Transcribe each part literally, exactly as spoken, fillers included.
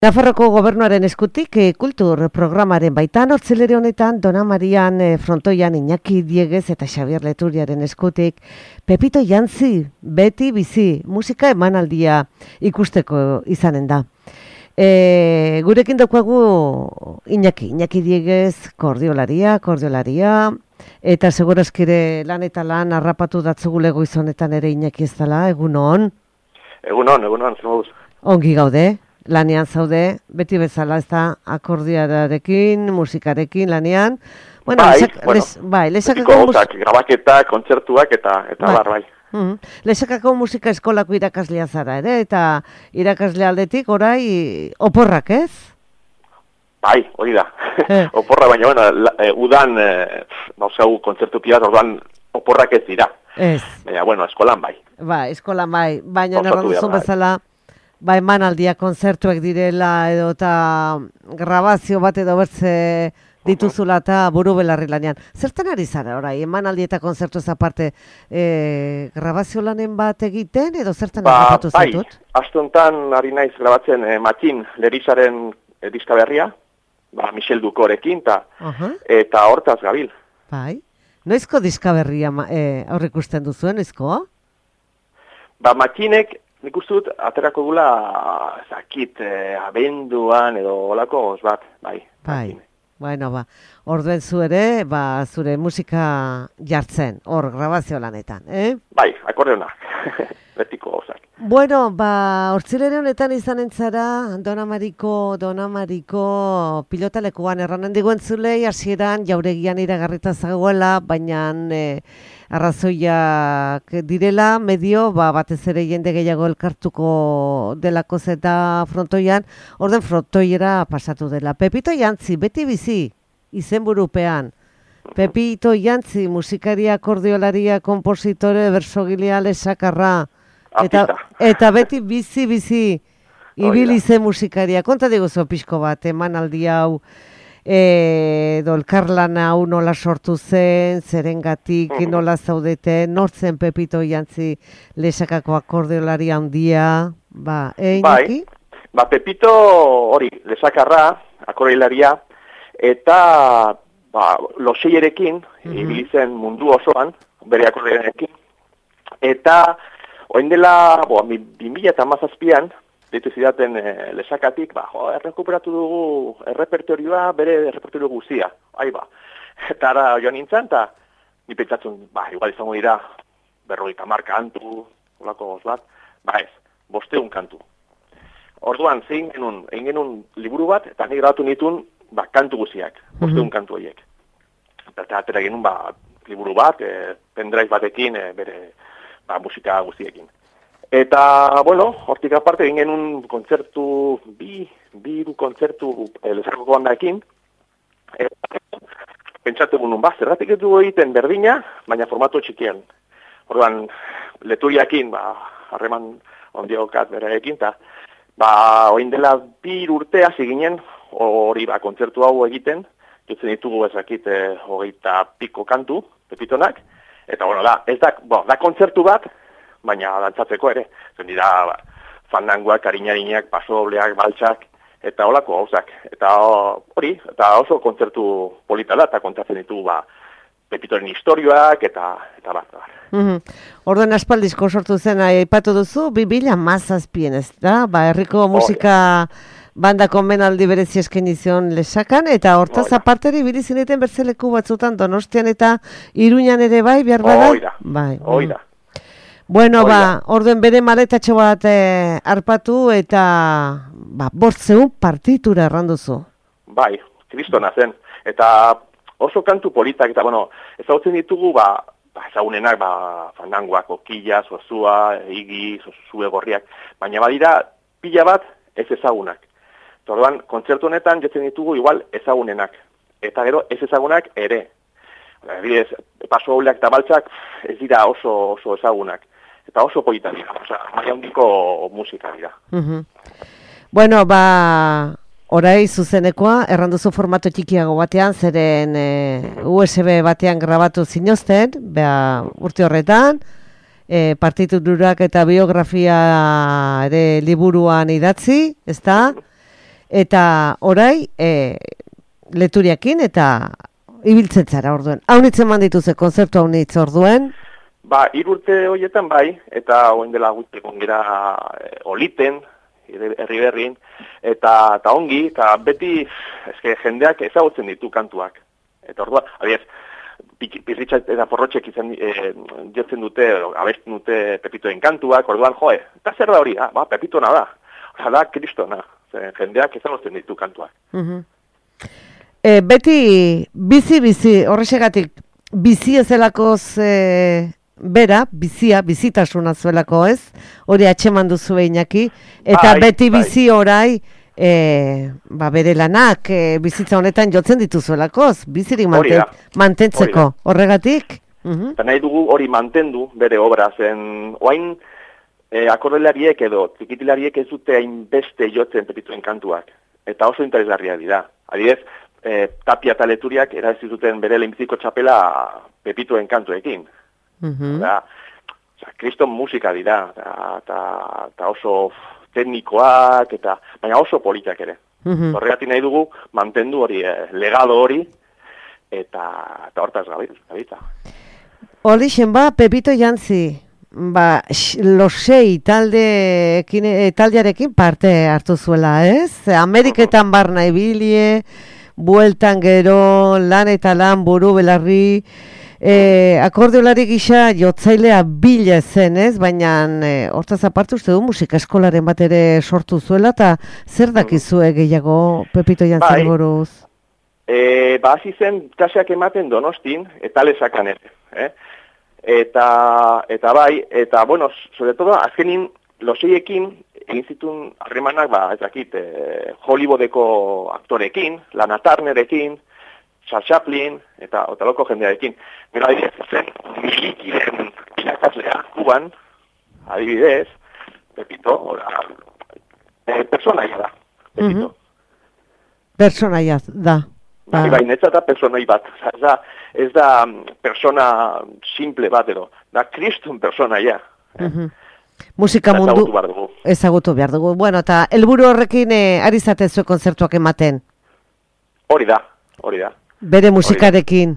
Nafarroko gobernuaren eskutik e, kultur programaren baitan hortzelere honetan Dona Marian e, frontoian Iñaki Diegez eta Xabier Leturiaren eskutik Pepito Jantzi, beti bizi, musika emanaldia ikusteko izanen da. E, gurekin daukagu Iñaki, Iñaki Diegez kordiolaria, kordiolaria, eta segurazkire lan eta lan harrapatu datzugulego izonetan ere Iñaki ez dela, egunon? Egunon, egunon, zemoduz. Ongi gaude? Lanean zaude, beti bezala ez da akordiarekin, musikarekin lanean. Bueno, bai, lesak, bueno, les, bai, lesakako gauzak, grabaketak, kontzertuak eta eta bai. bar, bai. Mm-hmm. Lesakako musika eskolako irakaslea zara ere, eta irakasle aldetik orai oporrak, ez? Bai, hori da. Eh. Oporra, baina, bueno, la, e, udan, e, nauzau, kontzertu pilat, orduan oporrak ez dira. Ez. Baina, bueno, eskolan bai. Ba, eskolan bai, baina Osatu erranduzun behar, bai. bezala, ba, emanaldia kontzertuak direla edo eta grabazio bat edo bertze dituzula eta buru belarri lanean. Zertan ari zara orai, emanaldi eta kontzertu ez aparte e, grabazio lanen bat egiten edo zertan Ba, harrapatu bai, zaitut? astontan ari naiz grabatzen e, Matin Lerizaren e, diska berria, ba, Michel Dukorekin, ta, Uh-huh. eta hortaz gabil. Bai. Noizko diska berria e, aurrikusten duzuen, noizko? Ba, Matinek, nik uste dut, aterako gula, zakit, eh, abenduan edo olako oz bat, bai. Bai, bueno, ba, orduen zu ere, ba, zure musika jartzen, hor, grabazio lanetan, eh? Bai, akordeona, betiko gozak. Bueno, ba, hortzilere honetan izanen zara, Dona Mariko, Dona Mariko pilotalekuan erranen digu entzulei, hasieran jauregian iragarrita zagoela, baina e, arrazoiak direla, medio, ba, batez ere jende gehiago elkartuko delako zeta frontoian, orden frontoiera pasatu dela. Pepito Jantzi, beti bizi, izenburupean. Pepito Jantzi, musikaria, akordiolaria, kompositore, bersogilea, lesakarra, eta, eta beti bizi-bizi ibili zen musikaria. Konta diguzu pixko bat, emanaldi hau, e, dolkarlan hau nola sortu zen, zerengatik, mm-hmm. nola zaudete, nortzen Pepito Jantzi lesakako akordeolari handia, ba, eh, Iñaki? Bai, ba, Pepito hori, lesakarra, akordeolaria, eta ba, loseierekin, mm-hmm. ibili zen mundu osoan, bere akordeolarekin, eta oin dela, bo, bi mila hamazazpian, ditu zidaten e, lesakatik, ba, jo, errekuperatu dugu errepertorioa, bere errepertorio guzia, ahi ba. Eta ara joan nintzen, eta ni pentsatzen, ba, igual izango dira, berrogeita hamar kantu, olako goz bat, ba ez, bosteun kantu. Orduan, zein genuen, egin genuen liburu bat, eta ni grabatu nituen, ba, kantu guziak, bosteun mm-hmm. kantu horiek. Eta atera genuen, ba, liburu bat, e, pendrive batekin, e, bere, ba, musika guztiekin. Eta, bueno, hortik aparte egin genuen kontzertu, bi, bi kontzertu e, lesakako bandaekin, eta pentsatu genuen, ba, zerratik ez dugu egiten berdina, baina formatu txikian. Orduan, Leturiakin, ba, harreman ondiokat berarekin, eta, ba, oin dela bi urte hasi ginen, hori, ba, kontzertu hau egiten, dutzen ditugu ezakit, e, hogeita piko kantu, Pepitonak, eta, bueno, da, ez da, bo, da kontzertu bat, baina dantzatzeko ere. Zen dira, ba, fandangoak, karinarinak, pasobleak, baltsak, eta holako gauzak. Eta hori, eta oso kontzertu polita da, eta kontatzen ditugu, ba, Pepitoren historioak, eta, eta bat. Mm-hmm. Orduan aspaldizko sortu zen, aipatu duzu, bi mila hamazazpian, ez da? Ba, herriko musika bandako menaldi berezi eskaini zion lesakan, eta hortaz oh, aparteri ibili zineten bertzeleku batzutan Donostian eta Iruñan ere bai, behar bada? Oida, bai. oida. Bueno, oida. Ba, orduen bere maletatxo bat eh, arpatu eta ba, bortzeun partitura erranduzu. Bai, kristona zen. Eta oso kantu politak, eta bueno, ezagutzen ditugu, ba, ba ezagunenak, ba, fandangoak, okilla, zozua, igi, zozue gorriak, baina badira pila bat ez ezagunak. Orduan, kontzertu honetan jetzen ditugu igual ezagunenak. Eta gero ez ezagunak ere. Bidez, paso hauleak eta baltsak ez dira oso, oso ezagunak. Eta oso polita dira. Osa, maia handiko musika dira. Uh-huh. Bueno, ba, orai zuzenekoa, erranduzu formato txikiago batean, zeren e, U S B batean grabatu zinozten, beha, urte horretan, e, partiturak eta biografia ere liburuan idatzi, ezta? eta orai e, leturiakin eta ibiltzen zara orduen. Haunitzen mandituze konzertu haunitz orduen? Ba, hiru urte horietan bai, eta oen dela guztekon gira e, oliten, herri berrin, eta, eta ongi, eta beti eske, jendeak ezagutzen ditu kantuak. Eta orduan, adiez, pirritxa eta porrotxek izan e, jotzen dute, abesten dute Pepitoen kantuak, orduan, joe, eta zer da hori, ah, ba, Pepitona da, hori da, kristona, jendeak ezagutzen ditu kantuak. Uh-huh. e, beti, bizi-bizi, horrexegatik, bizi ezelakoz e, bera, bizia, bizitasuna zuelako ez, hori atxeman duzu Iñaki, eta bai, beti bizi bai. Orai, e, ba, bere lanak, e, bizitza honetan jotzen dituzuelakoz, bizirik manten, mantentzeko, horregatik? Uh-huh. Eta nahi dugu hori mantendu bere obra, zen oain e, akordelariek edo txikitilariek ez dute hainbeste jotzen Pepitoen kantuak, eta oso interesgarria dira. Adibidez, e, Tapia eta Leturiak erazi zuten bere lehenbiziko txapela Pepitoen kantuekin. Uh-huh. Da, oza, kriston musika dira, eta oso teknikoak, eta baina oso politak ere. Uh-huh. Horregatik nahi dugu mantendu hori, eh, legado hori, eta, eta hortaz gabita. Horixen ba, Pepito Jantzi, ba, losei taldeekin, taldearekin parte hartu zuela, ez? Ameriketan uh-huh. barna ibilie, bueltan gero, lan eta lan, buru belarri, E, akordeolari gisa jotzailea bila zen, ez? Baina e, hortaz aparte uste du musika eskolaren bat ere sortu zuela, eta zer dakizue gehiago Pepito Jantzari buruz? E, ba, hasi zen klaseak ematen Donostin, eta lesakan ere. Eh? Eta, eta bai, eta bueno, sobre todo, azkenin loseiekin egin zituen harremanak, ba, ez dakit, e, Hollywoodeko aktorekin, Lana Turnerekin, Charles Chaplin, eta otaloko jendearekin. Gero adibidez, zen milikiren irakaslea, Kuban, adibidez, Pepito, ora, e, personaia da, Pepito. Uh-huh. Personaia da. Bai, bai, netzata personai bat. Ez da, ez da persona simple bat edo, da kriston personaia. Uh-huh. Musika mundu ezagutu behar dugu. Ezagutu behar dugu. Bueno, eta helburu horrekin eh, ari zatezu kontzertuak ematen? Hori da, hori da. Bere musikarekin?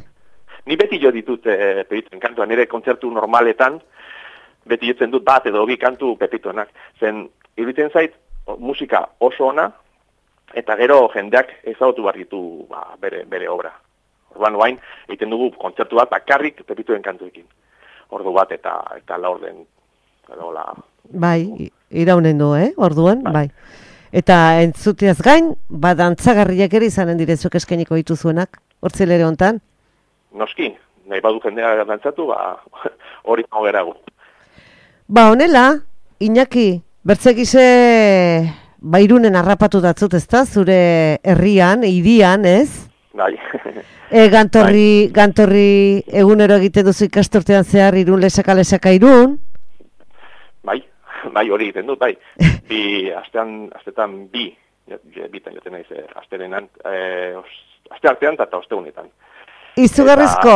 Ni beti jo ditut e, Pepitoen kantua, nire kontzertu normaletan, beti jotzen dut bat edo bi kantu Pepitoenak. Zen, iruditzen zait, musika oso ona, eta gero jendeak ezagutu behar ditu ba, bere, bere obra. Orduan oain, egiten dugu kontzertu bat bakarrik Pepitoen kantuekin. Ordu bat eta eta la orden. La... Bai, iraunen du, eh? Orduan, bai. bai. Eta entzuteaz gain, badantzagarriak ere izanen direzuk eskainiko dituzuenak, hortzelere hontan? Noski, nahi badu jendea dantzatu, ba, hori nago geragu. Ba, honela, Iñaki, bertzegize bairunen harrapatu datzut, ezta, zure herrian, hirian, ez? Bai. e, gantorri, bai. gantorri egunero egiten duzu ikastortean zehar, irun lesaka lesaka irun? Bai. Bai, hori egiten dut, bai. Bi, astean, astetan bi, bitan joten naiz, asterenan, e, aste artean eta ostegunetan. Izugarrizko,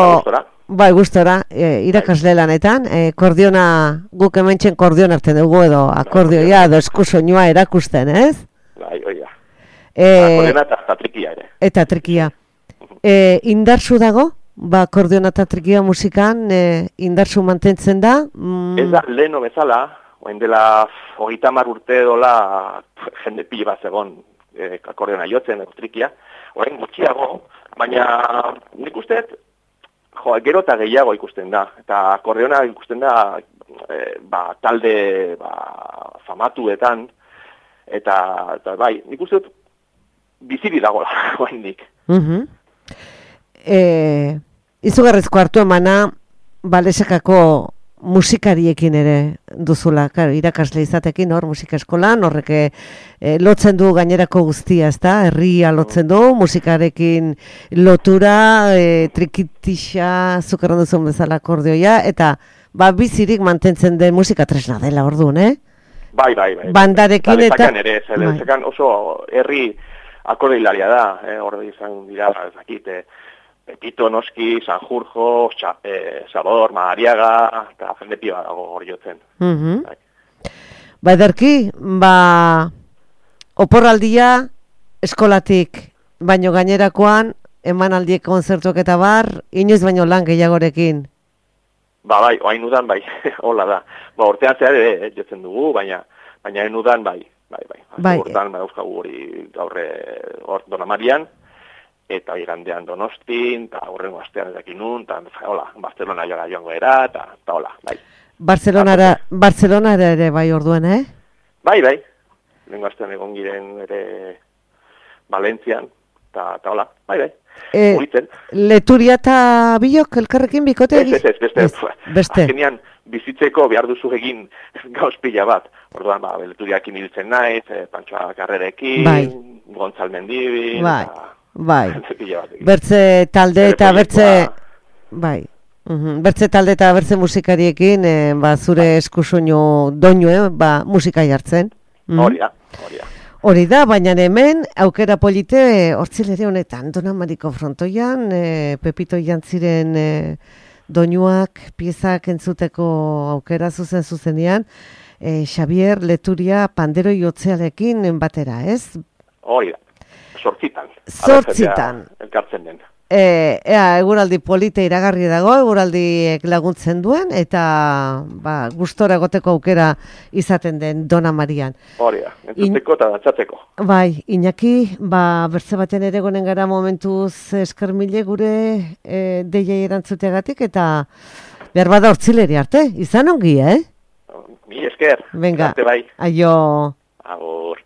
bai, gustora, e, irakasle lanetan, e, kordiona, guk hementxen kordion hartzen dugu edo, akordioia, edo eskusoinua erakusten, ez? Bai, hori da. E, Akordiona eta, eta trikia ere. Eta trikia. E, indartsu dago? Ba, kordiona eta trikia musikan, e, indartsu mantentzen da? Mm. Ez da, leheno bezala, oen dela hogeita hamar urte dola jende pila bat zegoen e, akordeona jotzen, trikia, orain gutxiago, baina nik usteet, jo, gero eta gehiago ikusten da, eta akordeona ikusten da e, ba, talde ba, famatuetan, eta, eta bai, nik usteet biziri dagoela, oain dik. Uh-huh. e, izugarrizko hartu emana, balesakako musikariekin ere duzula, claro, irakasle izatekin hor musika eskolan, horrek e, lotzen du gainerako guztia, ezta? Herria lotzen du, musikarekin lotura, e, trikitixa, zukarron duzun bezala akordioia, eta ba, bizirik mantentzen den musika tresna dela orduan, eh? Bai, bai, bai. Bandarekin eta... ere, bai. Oso herri akordilaria da, eh? Hor izan dira, ezakit, Pepito, Noski, Sanjurjo, eh, Salvador, Madariaga, eta jende pila dago hori jotzen. Uh-huh. Ba, ederki, ba, oporraldia eskolatik, baino gainerakoan, emanaldiek konzertuak eta bar, inoiz baino lan gehiagorekin. Ba, bai, oain udan, bai, hola da. Ba, urtean zehar ere, jetzen dugu, baina, baina enudan, bai, bai, bai. Bai. Urtean, bai, euskagu hori gaurre, hor Donamarian, eta igandean Donostin, eta horrengo astean edakin nun, eta, hola, Barcelona joan joango era, eta, eta, hola, bai. Barcelonara, Barcelonara ere bai orduen, eh? Bai, bai, lengo astean egon giren ere Valentzian, eta, eta, hola, bai, bai. E, Leturia eta Bilok elkarrekin bikote? Ez, ez, ez, beste. Ez, beste. Azkenean bizitzeko behar duzu egin gauz pila bat. Orduan, ba, Leturiakin hiltzen naiz, e, Pantsoa Karrerekin, bai. Gontzal Mendibin, bai. Eta, bai. Bertze talde eta bertze... Bai. Uhum. Bertze talde eta bertze musikariekin, e, ba, zure bai. Eskusoinu doinu, eh, ba, musika jartzen. Hori da, hori da. Hori da, baina hemen aukera polite hortzilere honetan Donamariko frontoian, e, Pepito Jantziren e, doinuak, piezak entzuteko aukera zuzen zuzenean, e, Xabier Leturia pandero jotzearekin batera, ez? Hori da, sortzitan. Zortzitan. Elkartzen den. E, ea, eguraldi polite iragarri dago, eguraldiek laguntzen duen, eta ba, gustora egoteko aukera izaten den Dona Marian. Hori da, entzuteko eta dantzatzeko. Bai, Iñaki, ba, bertze baten ere gonen gara momentuz eskermile gure e, deiei erantzuteagatik, eta behar bada hortzileri arte, izan ongi, eh? Mi esker, venga, bai. Aio. Agur.